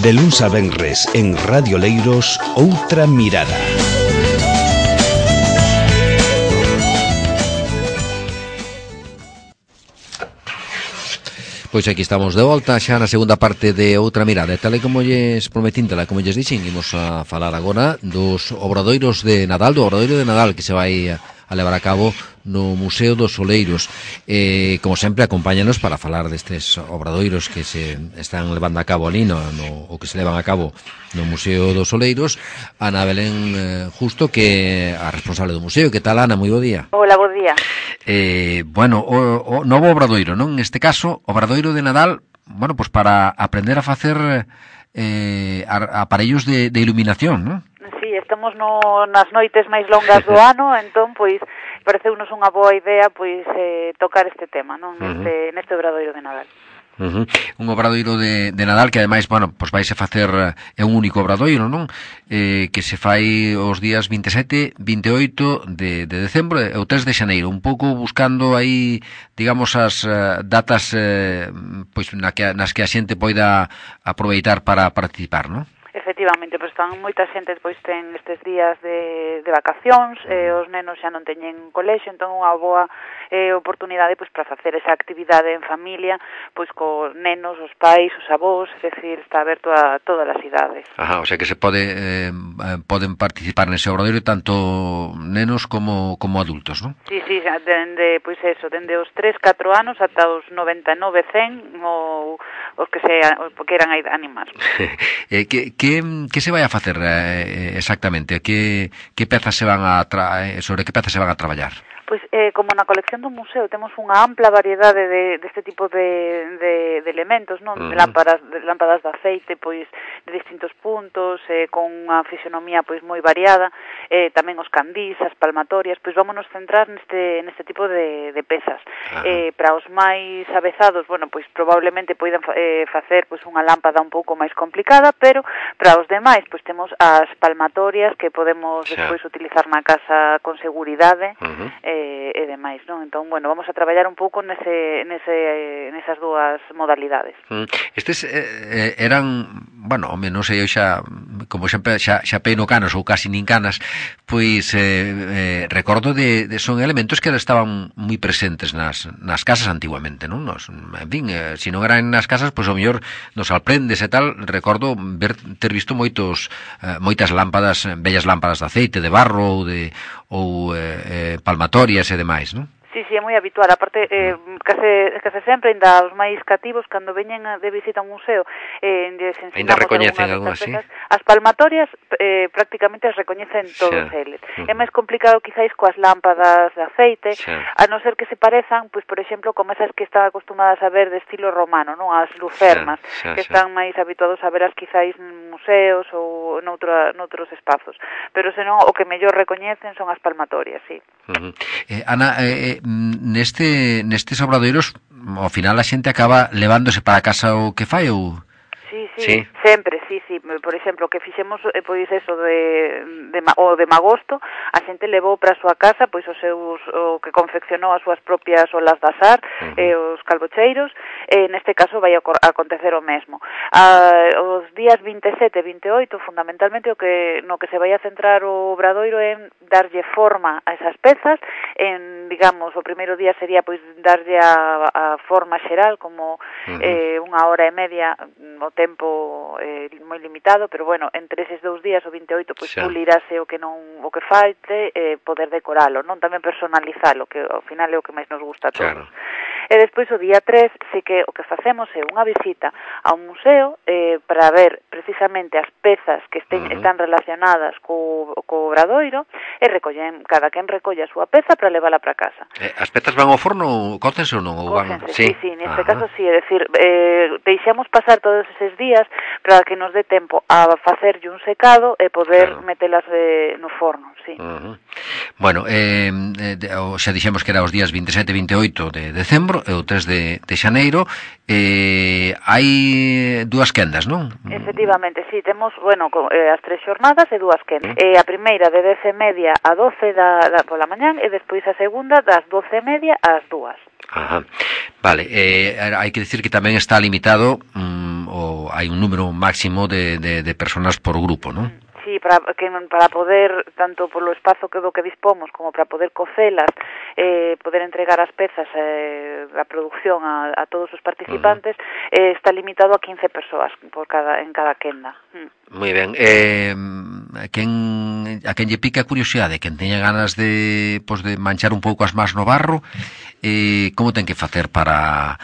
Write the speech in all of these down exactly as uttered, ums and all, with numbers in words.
De luns a venres en Radio Leiros, Outra Mirada. Pois aquí estamos de volta xa na segunda parte de Outra Mirada. E tal e como lles prometíntela, como lles dixen, imos a falar agora dos obradoiros de Nadal, do obradoiro de Nadal que se vai a levar a cabo no Museo dos Oleiros. Eh, como sempre, acompáñanos para falar destes obradoiros que se están levando a cabo ali no, no, o que se levan a cabo no Museo dos Oleiros, Ana Belén eh, Justo, que é a responsable do museo. Que tal, Ana? Moi bo día. Hola, bo día. Eh, bueno, o, o novo obradoiro, non? Neste caso, obradoiro de Nadal, bueno, pues para aprender a facer eh, aparellos de, de iluminación, non? Sí, estamos no, nas noites máis longas do ano, entón, pois, pareceunos unha boa idea, pois, eh, tocar este tema, non? Neste, uh-huh. neste obradoiro de Nadal. Uh-huh. Un obradoiro de, de Nadal que ademais, bueno, pois vais a facer é un único obradoiro, non? Eh, que se fai os días vinte e sete, vinte e oito de, de decembro e o tres de xaneiro, un pouco buscando aí, digamos, as uh, datas uh, pois na que, nas que a xente poida aproveitar para participar, non? Efectivamente, pois están moita xente pois ten estes días de, de vacacións, e os nenos xa non teñen colexio, entón unha boa eh, oportunidade pois para facer esa actividade en familia, pois co nenos, os pais, os avós, é dicir, está aberto a todas as idades. Ajá, o sea que se pode eh, poden participar nese obradoiro tanto nenos como como adultos, non? Sí, sí, dende pois eso, dende os tres, catro anos ata os noventa e nove, cen ou os que se os que queran animar. eh, que Que, que se vai a facer eh, exactamente? Que, que pezas se van a tra... sobre que pezas se van a traballar? Pois, eh, como na colección do museo temos unha ampla variedade de, deste tipo de, de, de elementos, non? Uh-huh. De lámparas, de lámpadas de aceite, pois, de distintos puntos, eh, con unha fisionomía, pois, moi variada, eh, tamén os candís, as palmatorias, pois, vámonos centrar neste, neste tipo de, de pezas. Uh-huh. Eh, para os máis avezados, bueno, pois, probablemente poidan eh, facer, pois, unha lámpada un pouco máis complicada, pero para os demais, pois, temos as palmatorias que podemos, yeah, despois utilizar na casa con seguridade, uh-huh, eh, e demais, non? Entón, bueno, vamos a traballar un pouco nese, nese, nesas dúas modalidades. Estes eh, eran, bueno, home, non sei, eu xa, como sempre, xa, xa peino canas ou casi nin canas, pois eh, eh, recordo de, de son elementos que estaban moi presentes nas, nas casas antiguamente, non? Nos, en fin, eh, se non eran nas casas, pois o mellor nos alprendes e tal, recordo ver, ter visto moitos, eh, moitas lámpadas, bellas lámpadas de aceite, de barro ou de ou eh, eh, palmatorias e demais, non? Sí, sí, é moi habitual. Aparte, eh, case, case sempre, ainda os máis cativos, cando veñen de visita a un museo, eh, ainda recoñecen algunhas, sí? As palmatorias eh, prácticamente as recoñecen todos, xa, eles. Uh-huh. É máis complicado quizáis coas lámpadas de aceite, xa, a non ser que se parezan, pois, por exemplo, como esas que están acostumadas a ver de estilo romano, non? As lucernas, xa, xa, que están xa máis habituados a veras quizáis en museos ou noutra, noutros espazos. Pero senón, o que mellor recoñecen son as palmatorias, sí. Uh-huh. eh, Ana, eh, neste nestes obradoiros ao final a xente acaba levándose para casa o que fai ou... Sí, sí, sí, sempre, sí, sí. Por exemplo, que fixemos, eh, pois eso de, de o de magosto, a xente levou para a súa casa pois os seus, o que confeccionou as súas propias olas de azar, uh-huh, eh, os calbocheiros, e neste caso vai a acontecer o mesmo. Ah, os días vinte e sete e vinte e oito, fundamentalmente, o que no que se vai a centrar o obradoiro é en darlle forma a esas pezas, en, digamos, o primeiro día sería pois darlle a, a forma xeral, como uh-huh, eh, unha hora e media o tempo eh, moi limitado, pero bueno, entre eses dous días, o vinte e oito, pois xa, pulirase o que non o que falte, eh, poder decoralo, non? Tamén personalizalo, que ao final é o que máis nos gusta a todos. Claro. E despois o día tres, sí que o que facemos é unha visita a un museo eh, para ver precisamente as pezas que estén, uh-huh, están relacionadas co, co obradoiro, e recollen, cada quen recolle a súa peza para levala para casa. Eh, as pezas van ao forno, cócense ou non? Ou van... Sí, sí, sí, neste uh-huh, caso sí, é dicir, eh, deixamos pasar todos eses días para que nos dé tempo a facerlle un secado e poder, claro, metelas eh, no forno, sí. Uh-huh. Bueno, eh, xa dixemos que era os días vinte e sete e vinte e oito de decembro e o tres de, de xaneiro, eh, hai dúas quendas, non? Efectivamente, sí, temos, bueno, eh, as tres xornadas e dúas quendas. Uh-huh. Eh, a primeira de dez e media a doce da, da, pola mañán, e despois a segunda das doce e media ás dúas. Ajá. Vale, eh, hai que decir que tamén está limitado mm, o, hai un número máximo de, de, de personas por grupo, non? Sí, para, que, para poder, tanto polo espazo que do que dispomos, como para poder cocelas, eh, poder entregar as pezas, eh, a producción a, a todos os participantes, uh-huh. eh, está limitado a quince persoas por cada, en cada quenda. Mm. Moi ben. Eh, a quen a quen lle pica a curiosidade, quen teña ganas de, pues, de manchar un pouco as más no barro, eh, como ten que facer para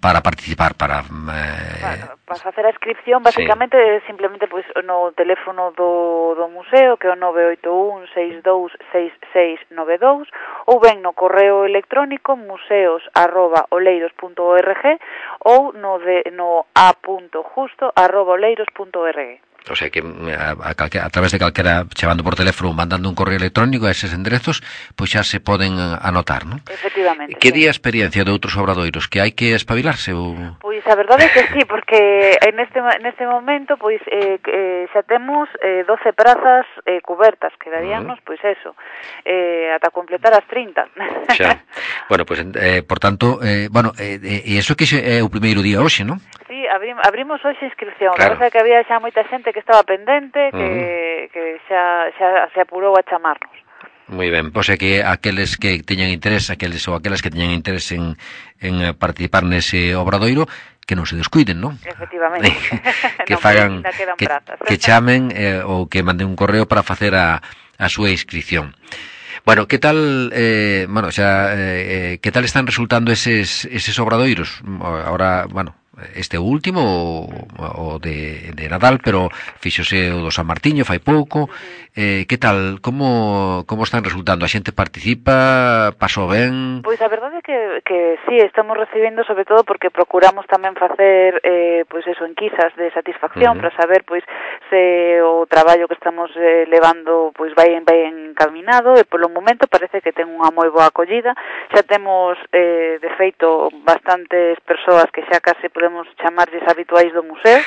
para participar, para eh... para, para facer a inscripción, basicamente, sí. simplemente pois pues, no teléfono do, do museo, que é o nove oito un seis dous seis seis nove dous, ou ben no correo electrónico museos arroba oleiros punto org ou no, de, no a punto justo arroba oleiros punto org. O sea que a, a, a través de calquera, chamando por teléfono, mandando un correo electrónico a eses enderezos, pois xa se poden anotar, non? Efectivamente. Que sí. di a experiencia de outros obradoiros? Que hai que espabilarse? Ou... Pois a verdade é que sí, porque neste, neste momento pois eh, eh, xa temos eh, doce prazas eh, cubertas, quedaríanos, uh-huh. pois eso, eh, ata completar as trinta. Xa. Bueno, pois, eh, por tanto, eh, bueno, e eh, eh, iso que é o primeiro día hoxe, non? Sí, abrim, abrimos hoxe inscripción, claro. Parece que había xa moita xente que estaba pendente, que, uh-huh. que xa, xa se apurou a chamarnos. Moi ben, pois é que aqueles que teñan interés, aqueles ou aquelas que teñan interés en, en participar nese obradoiro, que non se descuiden, non? Efectivamente. que non, fagan, que, que chamen eh, ou que manden un correo para facer a, a súa inscripción. Bueno, que tal, eh, bueno, xa, eh, que tal están resultando eses, eses obradoiros? Ahora, bueno, este último o, o de, de Nadal, pero fíxose o do San Martiño fai pouco. Eh, que tal, como como están resultando? A xente participa, pasou ben? Pois a verdade é que, que sí, estamos recibendo, sobre todo porque procuramos tamén facer eh, pois eso, enquisas de satisfacción, uh-huh. para saber pois se o traballo que estamos eh, levando pois vai vai encaminado, e polo momento parece que ten unha moi boa acollida. Xa temos eh, de feito bastantes persoas que xa case podemos chamarlles habituais do museo,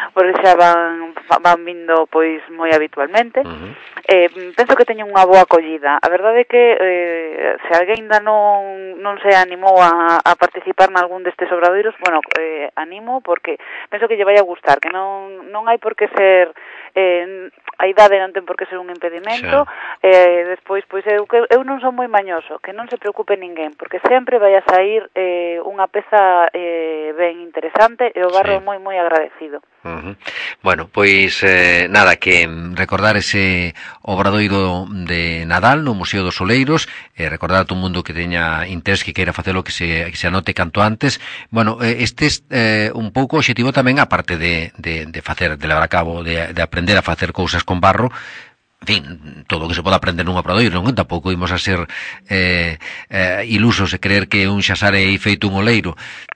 porque xa van van vindo pois moi habitualmente. Uh-huh. Eh, penso que teñen unha boa acollida. A verdade é que eh, se alguén ainda non, non se animou a, a participar nalgún destes obradoiros, bueno, eh, animo porque penso que lle vai a gustar, que non, non hai por que ser eh, a idade non ten por que ser un impedimento. Eh, despois, pois eu, eu non son moi mañoso, que non se preocupe ninguén, porque sempre vai a sair eh, unha peza eh, ben interesante e o barro sí. moi moi agradecido. Uh-huh. Bueno, pois eh, nada, que recordar ese obradoiro de Nadal no Museo dos Oleiros, eh, recordar a todo mundo que teña interés, que queira facelo, que se, que se anote canto antes. Bueno, eh, este é eh, un pouco objetivo tamén, aparte de, de, de facer, de levar a cabo, de, de aprender a facer cousas con barro. En fin, todo o que se pode aprender nun obradoiro, non? Tampouco imos a ser eh, eh, ilusos e creer que un xa sare aí feito un oleiro.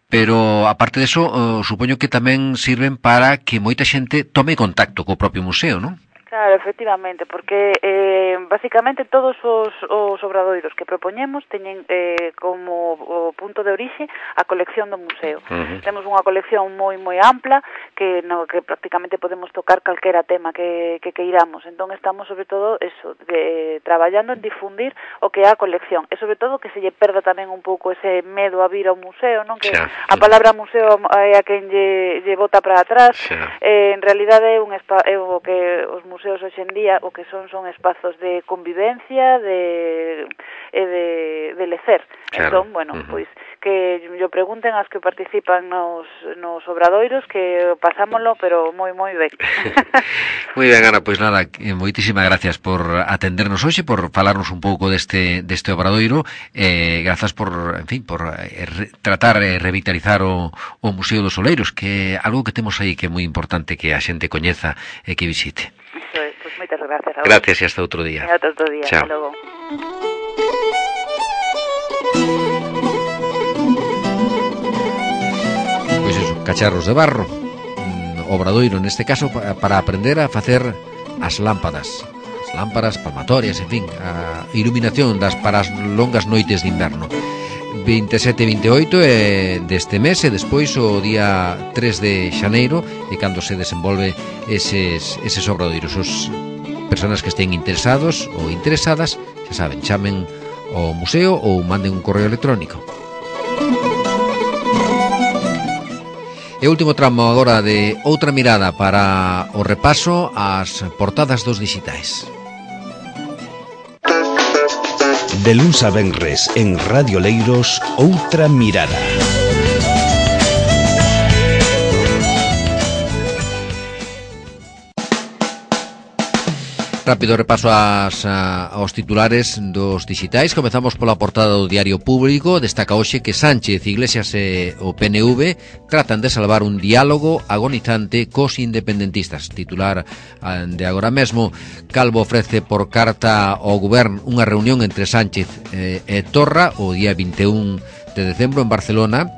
Pero, aparte deso, uh, supoño que tamén sirven para que moita xente tome contacto co propio museo, non? Claro, efectivamente, porque eh, basicamente todos os, os obradoiros que propoñemos teñen eh, como o punto de orixe a colección do museo. Uh-huh. Temos unha colección moi moi ampla que no que prácticamente podemos tocar calquera tema que, que queiramos. Entón estamos sobre todo eso, de, traballando en difundir o que é a colección. E sobre todo que se lle perda tamén un pouco ese medo a vir ao museo, non? Que xa, a palabra museo é a quen lle, lle bota para atrás. Eh, en realidade é un espa, é o que os museos museos hoxe en día o que son son espazos de convivencia, de e de, de lecer. Claro. Entón, bueno, uh-huh. pois que yo pregunten as que participan nos, nos obradoiros, que pasámoslo, pero moi, moi ben. Moi ben, Ana, pois nada, moitísimas gracias por atendernos hoxe, por falarnos un pouco deste deste obradoiro, eh, grazas por, en fin, por eh, re, tratar de revitalizar o, o Museo dos Oleiros, que é algo que temos aí que é moi importante que a xente coñeza e que visite. Iso é, pois moitas gracias. Raúl. Gracias e hasta outro día. E hasta outro día, chao. Hasta logo. Pois iso, cacharros de barro, mm, obradoiro neste caso para aprender a facer as lámpadas, as lámparas palmatorias, en fin, a iluminación das para as longas noites de inverno. vinte e sete e vinte e oito é deste mes e despois o día tres de xaneiro e cando se desenvolve eses, eses obradoiros. Os personas que estén interesados ou interesadas, xa saben, chamen ao museo ou manden un correo electrónico. E último tramo agora de Outra Mirada para o repaso ás portadas dos dixitais. De luns a venres en Radio Leiros, Outra Mirada. Rápido repaso as, a, aos titulares dos dixitais. Comezamos pola portada do Diario Público. Destaca hoxe que Sánchez, Iglesias e o P N V tratan de salvar un diálogo agonizante cos independentistas. Titular de agora mesmo. Calvo ofrece por carta ao Goberno unha reunión entre Sánchez e, e Torra o día vinte e un de decembro en Barcelona.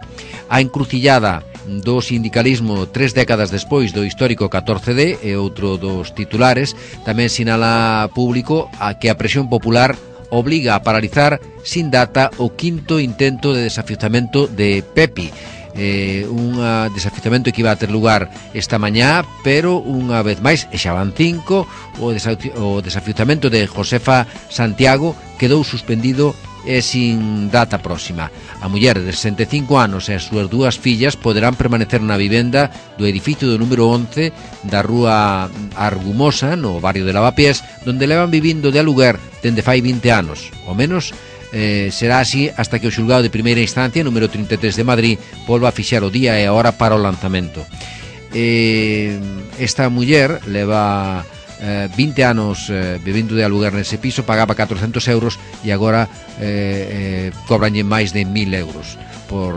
A encrucillada do sindicalismo tres décadas despois do histórico catorce de e outro dos titulares. Tamén sinala Público a que a presión popular obliga a paralizar sin data o quinto intento de desafiuzamento de Pepi. Eh, un desafiuzamento que iba a ter lugar esta mañá, pero unha vez máis, e xa van cinco, o, desafi- o desafiuzamento de Josefa Santiago quedou suspendido e sin data próxima. A muller de sesenta e cinco anos e as súas dúas fillas poderán permanecer na vivenda do edificio do número once da rúa Argumosa, no barrio de Lavapiés, donde levan vivindo de aluguer dende fai vinte anos. O menos eh, será así hasta que o xulgado de primeira instancia, número trinta e tres de Madrid, volva a fixar o día e a hora para o lanzamento. Eh, esta muller leva Eh, vinte anos eh, vivindo de aluguer nese piso, pagaba catrocentos euros e agora eh, eh, cobranlle máis de mil euros por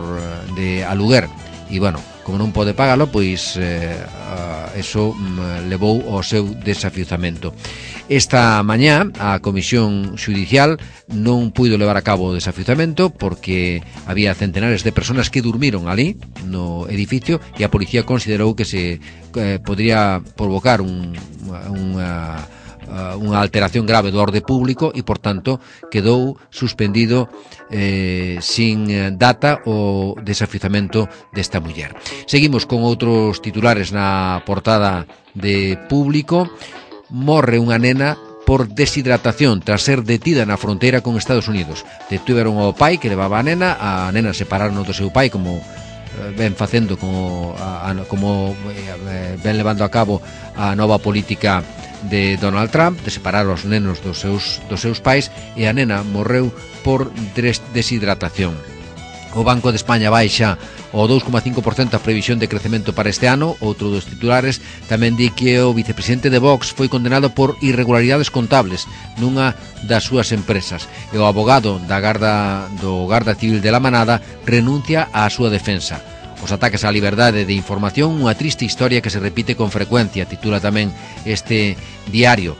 de aluguer. E bueno, como non pode pagalo, pois eh, uh, eso um, levou ao seu desafiuzamento. Esta mañá a Comisión Xudicial non puido levar a cabo o desafiuzamento porque había centenares de personas que durmiron ali no edificio e a policía considerou que se eh, podría provocar un, unha, unha alteración grave do orde público e, por tanto, quedou suspendido eh, sin data o desafiuzamento desta muller. Seguimos con outros titulares na portada de Público. Morre unha nena por deshidratación tras ser detida na fronteira con Estados Unidos. Detuveron ao pai que levaba a nena, a nena separaron do seu pai como eh, ven facendo como, a, a, como eh, ven levando a cabo a nova política de Donald Trump, de separar os nenos dos seus, dos seus pais, e a nena morreu por des, deshidratación. O Banco de España baixa o dous coma cinco por cento a previsión de crecemento para este ano. Outro dos titulares tamén di que o vicepresidente de Vox foi condenado por irregularidades contables nunha das súas empresas e o abogado da Garda do Garda Civil de la Manada renuncia á súa defensa. Os ataques á liberdade de información, unha triste historia que se repite con frecuencia, titula tamén este diario.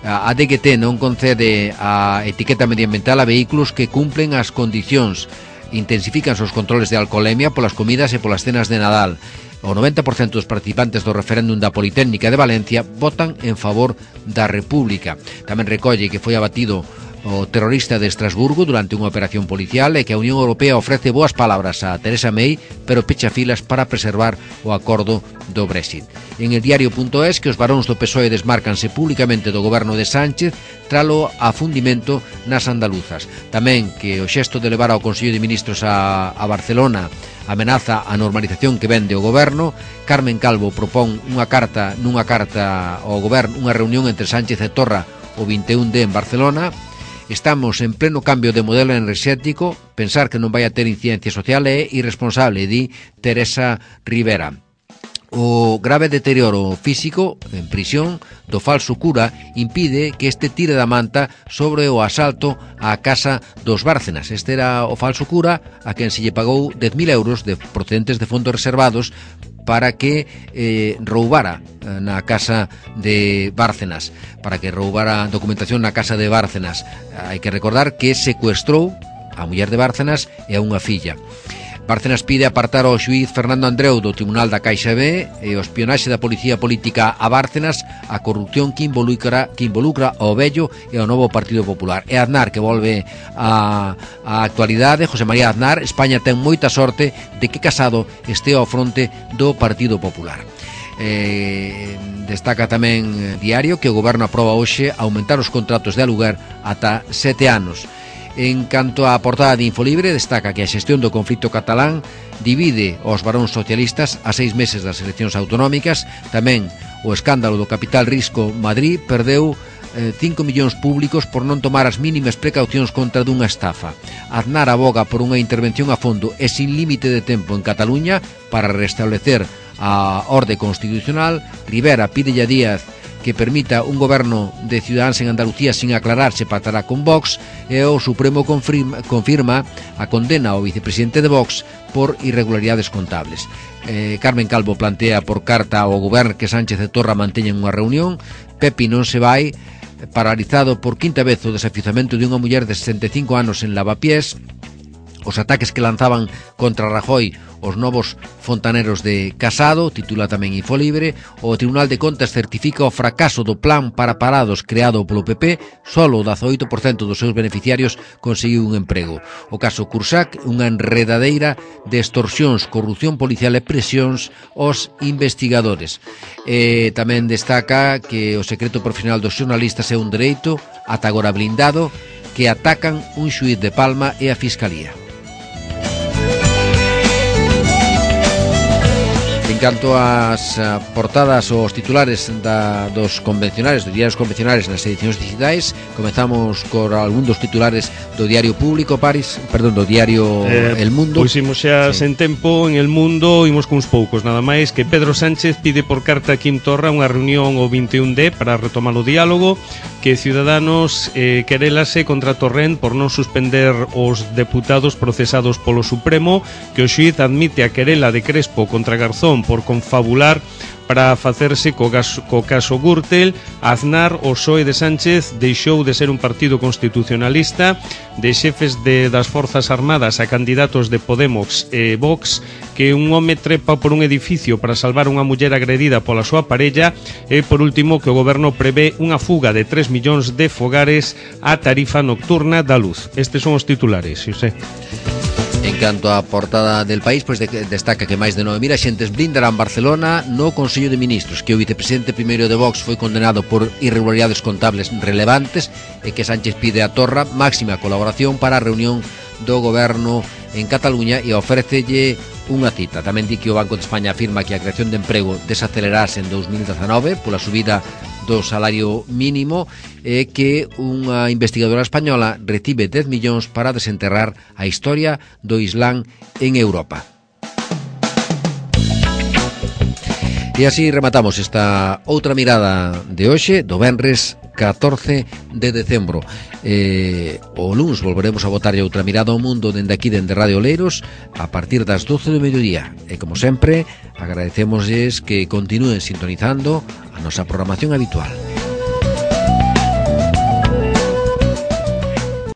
A D G T non concede a etiqueta medioambiental a vehículos que cumplen as condicións. Intensifican os controles de alcoholemia polas comidas e polas cenas de Nadal. O noventa por cento dos participantes do referéndum da Politécnica de Valencia votan en favor da República. Tamén recolle que foi abatido o terrorista de Estrasburgo durante unha operación policial e que a Unión Europea ofrece boas palabras a Theresa May, pero pecha filas para preservar o acordo do Brexit. En el diario.es que os varóns do P S O E desmárcanse públicamente do goberno de Sánchez tralo afundimento nas andaluzas. Tamén que o xesto de levar ao Consello de Ministros a, a Barcelona amenaza a normalización que vende o goberno. Carmen Calvo propón unha carta nunha carta ao goberno, unha reunión entre Sánchez e Torra o vinte e un de en Barcelona. Estamos en pleno cambio de modelo enerxético, pensar que non vai a ter incidencia social é irresponsable, di Teresa Rivera. O grave deterioro físico en prisión do falso cura impide que este tire da manta sobre o asalto á casa dos Bárcenas. Este era o falso cura a quen se lle pagou dez mil euros de procedentes de fondos reservados para que eh, roubara na casa de Bárcenas, para que roubara documentación na casa de Bárcenas. Hai que recordar que secuestrou a muller de Bárcenas e a unha filla. Bárcenas pide apartar ao xuíz Fernando Andreu do Tribunal da Caixa B e o espionaxe da policía política a Bárcenas, a corrupción que involucra, que involucra ao vello e ao novo Partido Popular. E Aznar, que volve a, a actualidade, José María Aznar, España ten moita sorte de que Casado este ao fronte do Partido Popular. Eh, destaca tamén Diario que o goberno aproba hoxe aumentar os contratos de aluguer ata sete anos. En canto á portada de Infolibre, destaca que a xestión do conflito catalán divide os varóns socialistas a seis meses das eleccións autonómicas. Tamén o escándalo do capital risco Madrid perdeu cinco millóns públicos por non tomar as mínimas precaucións contra dunha estafa. Aznar aboga por unha intervención a fondo e sin límite de tempo en Cataluña para restablecer a orde constitucional. Rivera pide a Díaz que permita un goberno de Ciudadanos en Andalucía sin aclarar se pactará con Vox, e o Supremo confirma, confirma a condena ao vicepresidente de Vox por irregularidades contables. Eh, Carmen Calvo plantea por carta ao goberno que Sánchez e Torra manteñen unha reunión. Pepi non se vai, paralizado por quinta vez o desafiuzamento de unha muller de sesenta e cinco anos en Lavapiés. Os ataques que lanzaban contra Rajoy os novos fontaneros de Casado, titula tamén Infolibre. O Tribunal de Contas certifica o fracaso do plan para parados creado polo P P. Solo o dezaoito por cento dos seus beneficiarios conseguiu un emprego. O caso Cursac, unha enredadeira de extorsións, corrupción policial e presións aos investigadores. E tamén destaca que o secreto profesional dos xornalistas é un dereito, ata agora blindado, que atacan un xuíz de Palma e a Fiscalía. En canto ás portadas ou os titulares da, dos convencionales, dos diarios convencionales nas edicións digitais, comezamos con algún dos titulares do Diario Público, Paris, perdón, do Diario eh, El Mundo. Pois imos xa sí. sen tempo en El Mundo, imos cuns poucos, nada máis que Pedro Sánchez pide por carta a Quim Torra unha reunión o vinte e un de para retomar o diálogo, que Ciudadanos eh, querélase contra Torrent por non suspender os deputados procesados polo Supremo, que o xuíz admite a querela de Crespo contra Garzón por confabular para facerse co caso, co caso Gürtel. Aznar, o P S O E de Sánchez, deixou de ser un partido constitucionalista. De xefes de, das Forzas Armadas a candidatos de Podemos e Vox, que un home trepa por un edificio para salvar unha muller agredida pola súa parella. E, por último, que o goberno prevé unha fuga de tres millóns de fogares á tarifa nocturna da luz. Estes son os titulares, Xosé. En canto á portada del País, pois pues destaca que máis de nove mil axentes blindarán Barcelona no Consello de Ministros, que o vicepresidente primeiro de Vox foi condenado por irregularidades contables relevantes e que Sánchez pide a Torra máxima colaboración para a reunión do goberno en Cataluña e ofrécelle unha cita. Tamén di que o Banco de España afirma que a creación de emprego desacelerase en dos mil dezanove pola subida do salario mínimo e que unha investigadora española recibe dez millóns para desenterrar a historia do Islán en Europa. E así rematamos esta outra mirada de hoxe, do venres catorce de decembro. Eh, o luns volveremos a botarlle outra mirada ao mundo dende aquí, dende Radio Oleiros, a partir das doce do mediodía. E como sempre, agradecemosles que continúen sintonizando a nosa programación habitual.